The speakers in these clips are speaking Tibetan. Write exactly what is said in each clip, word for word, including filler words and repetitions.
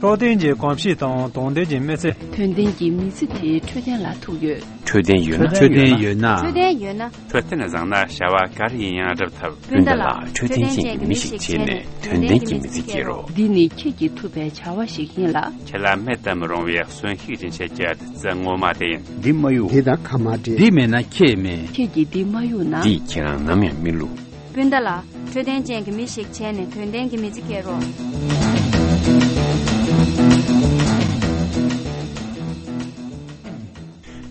འཕྲོད་བསྟེན་གྱི་གོམས་གཤིས་དང་དོན་ལྡན་གྱི་མི་ཚེ། དོན་ལྡན་གྱི་མི་ཚེ་དེ་འཕྲོད་བསྟེན་ལ་ཐུག་ཡོད། འཕྲོད་བསྟེན་ཡོད་ན། འཕྲོད་བསྟེན་ཡོད་ན། འཕྲོད་བསྟེན་ཡོད་ན། འཕྲོད་བསྟེན་བཟང་ན་བྱ་བ་ག་རེ་ཡིན་ཡང་སྒྲུབ་ཐུབ། སྤུན་ཟླ་ལགས། འཕྲོད་བསྟེན་ཅན་གྱི་མི་ཞིག་བྱས་ནས་དོན་ལྡན་གྱི་མི་ཚེ་སྐྱེལ་རོགས། འདི་ནི་ཁྱེད་ཀྱིས་ཐུབ་པའི་བྱ་བ་ཞིག་ཡིན་ལ། ཁྱེད་ལ་མེད་དུ་མི་རུང་བའི་གསོན་ཤུགས་ཀྱི་ཆེད་ཀྱི་བདུད་རྩི་ངོ་མ་དེ་ཡིན། འདི་མ་གཡུག་དེ་དང་ཁ་མ་འབྲལ། འདི་མེད་ན་ཁྱེད་མེད། ཁྱེད་ཀྱིས་འདི་མ་གཡུག་ན། འདིས་ཁྱེད་རང་ནམ་ཡང་མི་བསླུ། སྤུན་ཟླ་ལགས། འཕྲོད་བསྟེན་ཅན་གྱི་མི་ཞིག་བྱས་ནས་དོན་ལྡན་གྱི་མི་ཚེ་སྐྱེལ་རོགས།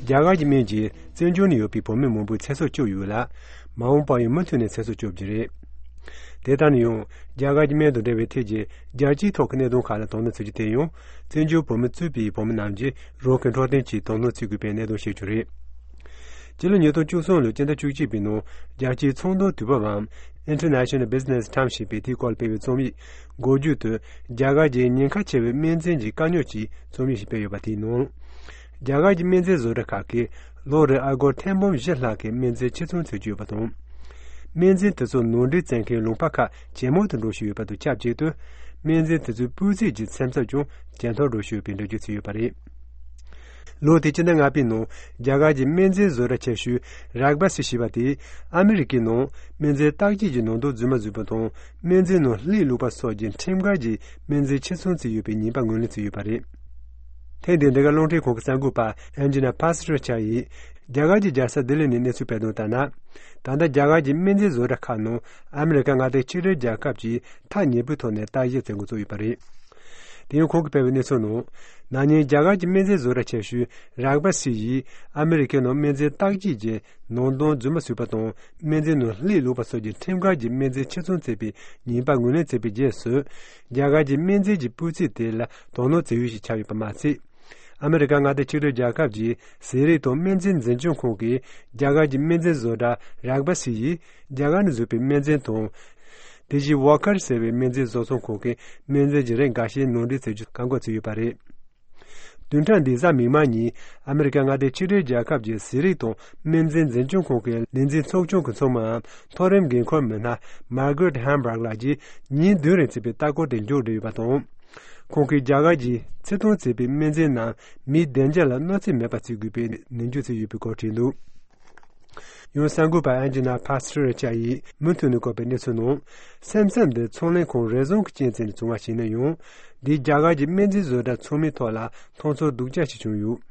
རྒྱ་གར་གྱི་སྨན་གྱིས་བཙན་བྱོལ་ནང་ཡོད་པའི་བོད་མི་མང་པོའི་ཚེ་སྲོག་སྐྱོབ་ཡོད་ལ། མ་འོངས་པར་ཡང་མུ་མཐུད་ནས་ཚེ་སྲོག་སྐྱོབ་རྒྱུ་རེད། དེ་ལྟར་ན་ཡང་རྒྱ་གར་གྱི་སྨན་དང་འབྲེལ་བའི་ཐད་ཀྱི་རྒྱལ་སྤྱིའི་ཐོག་གི་གནད་དོན་ཁག་ལ་དོ་སྣང་བྱེད་རྒྱུ་དེ་ཡང་བཙན་བྱོལ་བོད་མི་གཙོས་པའི་བོད་མི་རྣམས་ཀྱིས་རང་གི་འཕྲོད་བསྟེན་ཆེད་དོ་སྣང་བྱེད་དགོས་པའི་གནད་དོན་ཞིག་ཀྱང་རེད། སྤྱི་ལོ་ཉིས་སྟོང་བཅུ་གསུམ་ལོའི་སྤྱི་ཟླ་བཅུ་གཅིག་པའི་ནང་རྒྱལ་སྤྱིའི་ཚོང་དོན་དུས་བབ་བམ་International Business Times ཞེས་པས་དེའི་སྐོར་སྤེལ་བའི་རྩོམ་ཡིག་འགོ་བརྗོད་དུ་རྒྱ་གར་གྱི་ཉེན་ཁ་ཆེ་བའི་སྨན་རྫས་ཀྱི་དཀའ་རྙོག་ཅེས་རྩོམ་ཡིག་ཞིག་སྤེལ་ཡོད་པ་དེའི་ནང་། རྒྱ་གར་གྱི་སྨན་རྫས་བཟོ་གྲྭ་ཁག་གིས་ལོ་རེར་ཨ་སྒོར་ཐེར་འབུམ་བཞི་ལྷག་གི་སྨན་རྫས་ཕྱིར་ཚོང་བྱེད་ཀྱི་ཡོད་པ་དང་། སྨན་རྫས་དེ་ཚོ་ནང་འདྲེན་བྱེད་མཁན་ལུང་པ་ཁག་ཇེ་མང་དུ་འགྲོ་བཞིན་ཡོད་པ་དང་ཆབས་ཅིག་ཏུ། སྨན་རྫས་དེ་ཚོའི་སྤུས་ཚད་ཀྱི་སེམས་འཚབ་ཀྱང་ཇེ་མཐོར་འགྲོ་བཞིན་ཡོད་པའི་འགྲེལ་བརྗོད་བྱས་ཡོད་པ་རེད། ལོ་དེའི་སྤྱི་ཟླ་ལྔ་པའི་ནང་རྒྱ་གར་གྱི་སྨན་རྫས་བཟོ་གྲྭ་ཆེ་ཤོས་རག་བ་སི་ཞེས་པ་དེས་ཨ་མི་རི་ཀའི་ནང་སྨན་རྫས་བརྟག་དཔྱད་ཀྱི་ནང་དོན་རྫུན་མ་བཟོས་པ་དང་སྨན་རྫས་ནང་ལྷད་བླུགས་པ་སོགས་ཀྱི་ཁྲིམས་འགལ་གྱི་སྨན་རྫས་ཕྱིར་ཚོང་བྱས་ཡོད་པའི་ཉེས་པ་ངོས་ལེན་བྱས་ཡོད་པ་རེད། ཐེངས་འདིའི་འདི་ག་རླུང་འཕྲིན་ཁང་གི་གསར་འགོད་པ་ཨན་ཇི་ན་ཕ་སི་རི་ཆ་ཡིས་རྒྱ་གར་གྱི་རྒྱལ་ས་ལྡི་ལི་ནས་གནས་ཚུལ་སྤེལ་དོན་ལྟར་ན། ད་ལྟ་རྒྱ་གར་གྱི་སྨན་རྫས་བཟོ་གྲྭ་ཁག་ནང་ཨ་མི་རི་ཀ་མངའ་སྡེ་གཅིག་སྒྲིལ་རྒྱལ་ཁབ་ཀྱིས་ཐག་ཉེ་པོའི་ཐོག་ནས་བརྟག་དཔྱད་བྱེད་འགོ་བཙུགས་ཡོད་པ་རེད། དེ་ཡང་ཁོང་གིས་སྤེལ་བའི་གནས་ཚུལ་ནང་། ན་ནིང་རྒྱ་གར་གྱི་སྨན་རྫས་བཟོ་གྲྭ་ཆེ་ཤོས་རག་བ་སི་ཡིས་ཨ་མི་རི་ཀའི་ནང་སྨན་རྫས་བརྟག་དཔྱད་ཀྱི་ནང་དོན་རྫུན་མ་བཟོས་པ་དང་སྨན་རྫས་ནང་ལྷད་བླུགས་པ་སོགས་ཀྱི་ཁྲིམས་འགལ་གྱི་སྨན་རྫས་ཕྱིར་ཚོང་བྱས་པའི་ཉེས་པ་ངོས་ལེན་བྱས་པའི་རྗེས་སུ། རྒྱ་གར་གྱི་སྨན་རྫས་ཀྱི་སྤུས་ཚད་དེ་ལ་དོ་སྣང་བྱེད་ཡུལ་ཞིག་ཆགས་ཡོད་པ་མ་ཟད། ཨ་མི་རི་ཀ་མངའ་སྡེ་གཅིག་སྒྲིལ་རྒྱལ་ཁབ་ཀྱི་ཟས་རིགས་དང་སྨན་རྫས་འཛིན་སྐྱོང་ཁང་གིས་རྒྱ་གར་གྱི་སྨན་རྫས་བཟོ་གྲྭ་རག་བ་སི་ཡིས་རྒྱ་གར་ནས་བཟོས་པའི་སྨན་རྫས་དང་། དེ་བཞིན་ཝོ་ཁར་ཟེར་བའི་སྨན་རྫས་བཟོ་ཚོང་ཁང་གི་སྨན་རྫས་ཀྱི་རིགས་འགའ་ཤས་ནང་འདྲེན་བྱེད་རྒྱུ་བཀག་འགོག་བྱས་ཡོད་པ་རེད། བདུན་ཕྲག་འདིའི་གཟའ་མིག་དམར་ཉིན་ཨ་མི་རི་ཀ་མངའ་སྡེ་གཅིག་སྒྲིལ་རྒྱལ་ཁབ་ཀྱི་ཟས་རིགས་དང་སྨན་རྫས་འཛིན་སྐྱོང་ཁང་གི་ལས་འཛིན་ཚོགས་ཆུང་གི་ཚོགས་མི་མཐོ་རིམ་འགན་འཁུར་མི་སྣ་མར་གྷ་རེད་ཧན་བྷག་ལགས་ཀྱིས་ཉིན་བདུན་རིང་བྱས་པའི་ལྟ་སྐོར་དེ་མཇུག་བསྒྲིལ་ཡོད་པ་དང་། ཁོང་གིས་རྒྱ་གར་གྱིས་ཕྱིར་གཏོང་བྱས་པའི་སྨན་རྫས་རྣམས་མིའི་བདེ་འཇགས་ལ་གནོད་འཚེ་མེད་པ་བྱེད་དགོས་པའི་ནན་བརྗོད་བྱས་ཡོད་པའི་སྐོར་བྲིས་འདུག་ཡང་གསར་འགོད་པ་ཨན་ཇི་ན་ཕ་སི་རི་ཆ་ཡིས་མུ་མཐུད་ནས་བཀོད་པའི་གནས་ཚུལ་ནང་། སེམས་འཚབ་འདི་ཚོང་ལས་ཁང་རེ་ཟུང་གི་རྐྱེན་བྱས་ནས་བྱུང་བ་ཞིག་ཡིན་ན་ཡང་། འདིས་རྒྱ་གར་གྱི་སྨན་རྫས་བཟོ་གྲྭ་ཚང་མའི་ཐོག་ལ་མཐོང་ཚོར་སྡུག་ཅག་ཞིག་བྱུང་ཡོད།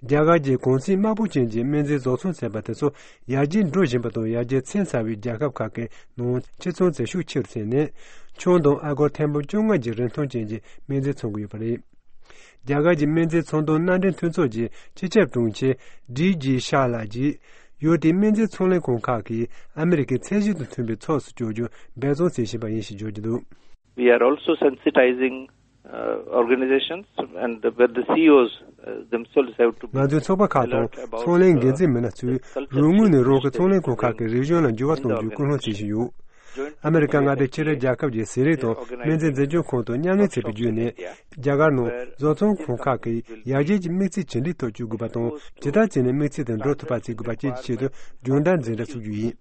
རྒྱ་གར་གྱི་གུང་ཚིགས་དམའ་པོ་ཅན་གྱི་སྨན་རྫས་བཟོ་ཚོང་ཚན་པ་དེ་ཚོ་ཡར་རྒྱས་འགྲོ་བཞིན་པ་དང་ཡར་རྒྱས་ཕྱིན་ཚར་བའི་རྒྱལ་ཁབ་ཁག་གི་ནང་ཕྱིར་ཚོང་བྱེད་ཤུགས་ཆེ་རུ་ཕྱིན་ནས་ཆུང་དང་ཨ་སྒོར་ཐེར་འབུམ་བཅོ་ལྔ་གྱི་རིན་ཐང་ཅན་གྱི་སྨན་རྫས་འཚོང་གི་ཡོད་པ་རེད། རྒྱ་གར་གྱི་སྨན་རྫས་ཚོང་དོན་མནའ་འབྲེལ་མཐུན་ཚོགས་ཀྱི་སྤྱི་ཁྱབ་དྲུང་ཆེ་ཌི་ཇི་ཤཱ་ལགས་ཀྱིས་ཡུལ་དེའི་སྨན་རྫས་ཚོང་ལས་ཁང་ཁག་གིས་ཨ་མི་རི་ཀའི་ཚད་གཞི་དང་མཐུན་པའི་ཕྱོགས་སུ་བསྐྱོད་རྒྱུར་འབད་བརྩོན་བྱེད་བཞིན་པ་ཡིན་ཞེས་བརྗོད་ཀྱི་འདུག We are also sensitizing uh, organizations and where the C E Os uh, themselves have to be ང་ཚོའི་ཚོགས་པ་ཁག་དང་ཚོང་ལས་འགན་འཛིན་མི་སྣ་ཚོས་རང་ངོས་ནས་རང་གི་ཚོང་ལས་ཁང་ཁག་གི་རིག་གཞུང་ལ་འགྱུར་བ་གཏོང་རྒྱུའི་སྐུལ་སློང་བྱེད་བཞིན་ཡོད། ཨ་མི་རི་ཀ་མངའ་སྡེ་ཕྱི་དྲིལ་རྒྱལ་ཁབ་ཀྱི་ཟས་རིགས་དང་སྨན་རྫས་འཛིན་སྐྱོང་ཁང་དང་མཉམ་ལས་བྱས་པའི་བརྒྱུད་ནས་རྒྱ་གར་ནང་བཟོ་ཚོང་ཁང་ཁག་གིས་ཡར་རྒྱས་ཀྱི་དམིགས་ཚད་ཇི་འདྲའི་ཐོག་བསྐྱོད་དགོས་པ་དང་ཇི་ལྟར་བྱས་ནས་དམིགས་ཚད་དེ་འགྲོ་ཐུབ་པ་བྱེད་དགོས་པ་བཅས་ཀྱི་ཆེད་དུ་སྦྱོང་བརྡར་འཛིན་གྲྭ་ཚུགས་རྒྱུ་ཡིན།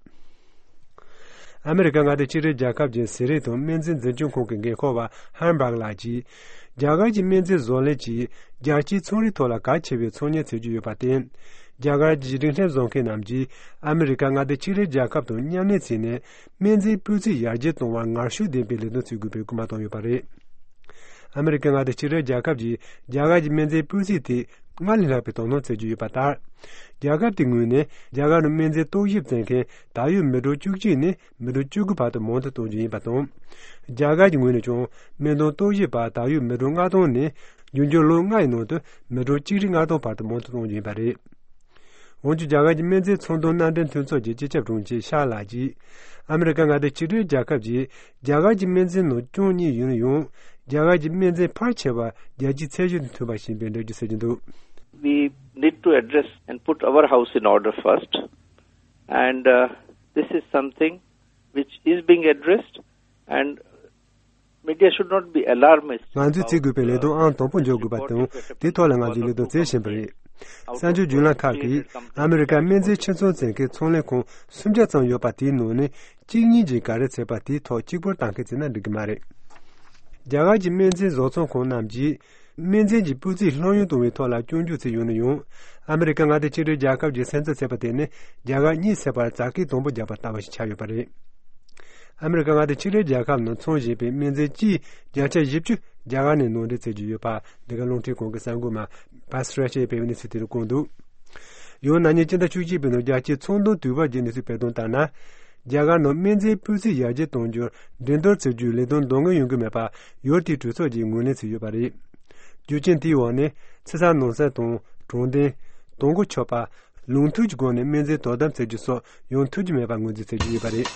ཨ་མི་རི་ཀ་མངའ་སྡེ་ཕྱི་དྲིལ་རྒྱལ་ཁབ་ཀྱི་ཟས་རིགས་དང་སྨན་རྫས་འཛིན་སྐྱོང་ཁང་གི་འགན་འཁུར་བ་ཧན་བྷག་ལགས་ཀྱིས་རྒྱ་གར་གྱི་སྨན་རྫས་བཟོ་ལས་ཀྱིས་རྒྱལ་སྤྱིའི་ཚོང་རའི་ཐོག་ལ་གལ་ཆེ་བའི་ཚོང་གཉེར་བྱེད་ཀྱི་ཡོད་པར་བརྟེན། རྒྱ་གར་གྱི་འབྲིང་ཕྲན་བཟོ་མཁན་རྣམས་ཀྱིས་ཨ་མི་རི་ཀ་མངའ་སྡེ་ཕྱི་དྲིལ་རྒྱལ་ཁབ་དང་མཉམ་ལས་བྱས་ནས་སྨན་རྫས་སྤུས་ཚད་ཡར་རྒྱས་གཏོང་བར་ངར་ཤུགས་ལྡན་པའི་ལས་དོན་བྱེད་དགོས་པའི་སྐུལ་མ་བཏང་ཡོད་པ་རེད། ཨ་མི་རི་ཀའི་མངའ་སྡེ་ཕྱི་དྲིལ་རྒྱལ་ཁབ་ཀྱིས་རྒྱ་གར་གྱི་སྨན་རྫས་སྤུས་ཚད་དེ་སྔར་ལས་ལྷག་པའི་དོ་སྣང་བྱེད་ཀྱི་ཡོད་པ་ལྟར། རྒྱལ་ཁབ་དེའི་ངོས་ནས་རྒྱ་གར་ནང་སྨན་རྫས་རྟོག་ཞིབ་བྱེད་མཁན་ད་ཡོད་མི་གྲངས་བཅུ་གཅིག་ནས་མི་གྲངས་བཅུ་དགུ་བར་དུ་མང་དུ་གཏོང་རྒྱུ་ཡིན་པ་དང་། རྒྱ་གར་གྱི་ངོས་ནས་ཀྱང་སྨན་དོན་རྟོག་ཞིབ་པ་ད་ཡོད་མི་གྲངས་ལྔ་སྟོང་ནས་འབྱུང་འགྱུར་ལོ་ལྔ་ཡི་ནང་དུ་མི་གྲངས་གཅིག་ཁྲི་ལྔ་སྟོང་བར་དུ་མང་དུ་གཏོང་རྒྱུ་ཡིན་པ་རེད། འོན་ཀྱང་རྒྱ་གར་གྱི་སྨན་རྫས་ཚོང་དོན་མནའ་འབྲེལ་མཐུན་ཚོགས་ཀྱི་སྤྱི་ཁྱབ་དྲུང་ཆེ་ཤཱ་ལགས་ཀྱིས། ཨ་མི་རི་ཀ་མངའ་སྡེ་ཕྱི་དྲིལ་རྒྱལ་ཁབ་ཀྱིས་རྒྱ་གར་གྱི་སྨན་རྫས་ནང་སྐྱོན་གཉིས་ཡོད་ན་ཡང་། རྒྱ་གར་གྱི་སྨན་རྫས་ཕལ་ཆེ་བ་རྒྱལ་སྤྱིའི་ཚད་གཞི་དང་མཐུན་པ་ཞིག་ཡིན་པའི་འགྲེལ་བརྗོད་བྱེད་ཀྱི་འདུག We need to address and put our house in order first. And uh, this is something which is being addressed. And media should not be alarmist. ང་ཚོས་བྱེད་དགོས་པའི་ལས་དོན་ཨང་དང་པོ་འཇོག་དགོས་པ་དང་དེའི་ཐོག་ལ་ང་ཚོས་ལས་དོན་བྱེད་བཞིན་པ་རེད། གསར་འགྱུར་བརྒྱུད་ལམ་ཁག་གིས་ཨ་མི་རི་ཀར་སྨན་རྫས་ཕྱིར་ཚོང་བྱེད་མཁན་ཚོང་ལས་ཁང་སུམ་བརྒྱ་ཙམ་ཡོད་པ་དེའི་ནང་ནས་གཅིག་གཉིས་ཀྱིས་ག་རེ་བྱས་པ་དེའི་ཐོག་གཅིག་པུར་བཏང་མཁན་བྱས་ན་འགྲིག་གི་མ་རེད། རྒྱ་གར་གྱི་སྨན་རྫས་བཟོ་ཚོང་ཁང་རྣམས་ཀྱིས་སྨན་རྫས་ཀྱི་སྤུས་ཚད་ལྷོད་ཡངས་གཏོང་བའི་ཐོག་ལ་སྐྱོན་བརྗོད་བྱས་ཡོང་ནས་ཡང་། ཨ་མི་རི་ཀ་མངའ་སྡེ་ཆིག་སྒྲིལ་རྒྱལ་ཁབ་ཀྱིས་སེམས་འཚབ་བྱས་པ་དེ་ནི་རྒྱ་གར་གཉིད་སད་པར་བྱ་དཀའ་དང་པོ་བརྒྱབ་པ་ལྟ་བུ་ཞིག་ཆགས་ཡོད་པ་རེད། ཨ་མི་རི་ཀ་མངའ་སྡེ་ཆིག་སྒྲིལ་རྒྱལ་ཁབ་ནང་འཚོང་བཞིན་པའི་སྨན་རྫས་སྤྱིའི་བརྒྱ་ཆ་བཞི་བཅུ་རྒྱ་གར་ནས་ནང་འདྲེན་བྱེད་ཀྱི་ཡོད་པ་འདི་ག་རླུང་འཕྲིན་ཁང་གི་གསར་འགོད་པ་པ་སི་ར་ཤའི་སྤེལ་བའི་གནས་ཚུལ་དེར་བཀོད་འདུག་ཡང་ན་ནིང་སྤྱི་ཟླ་བཅུ་གཅིག་པའི་ནང་རྒྱལ་སྤྱིའི་ཚོང་དོན་དུས་བབ་ཀྱི་གནས་ཚུལ་སྤེལ་དོན་ལྟར་ན། རྒྱ་གར་ནང་སྨན་རྫས་སྤུས་ཚད་ཡར་རྒྱས་གཏོང་རྒྱུར་འགྲན་བསྡུར་བྱེད་རྒྱུའི་ལས་དོན་འདང་ངེས་ཡོང་གི་མེད་པ་ཡུལ་དེའི་གྲོས་ཚོགས་ཀྱིས་ངོས་ལེན་བྱས་ཡོད་པ་རེད། རྒྱུ་རྐྱེན་དེའི་འོག་ནས་ཕྱི་གསལ་ནང་གསལ་དང་དྲང་བདེན། དང་གོ་ཆོད་པ། ལུགས་མཐུན་གྱི་སྒོ་ནས་སྨན་རྫས་དོ་དམ་བྱེད་རྒྱུ་སོགས་ཡོང་ཐུབ་ཀྱི་མེད་པར་ངོས་འཛིན་བྱེད་ཀྱི་ཡོད་པ་རེད།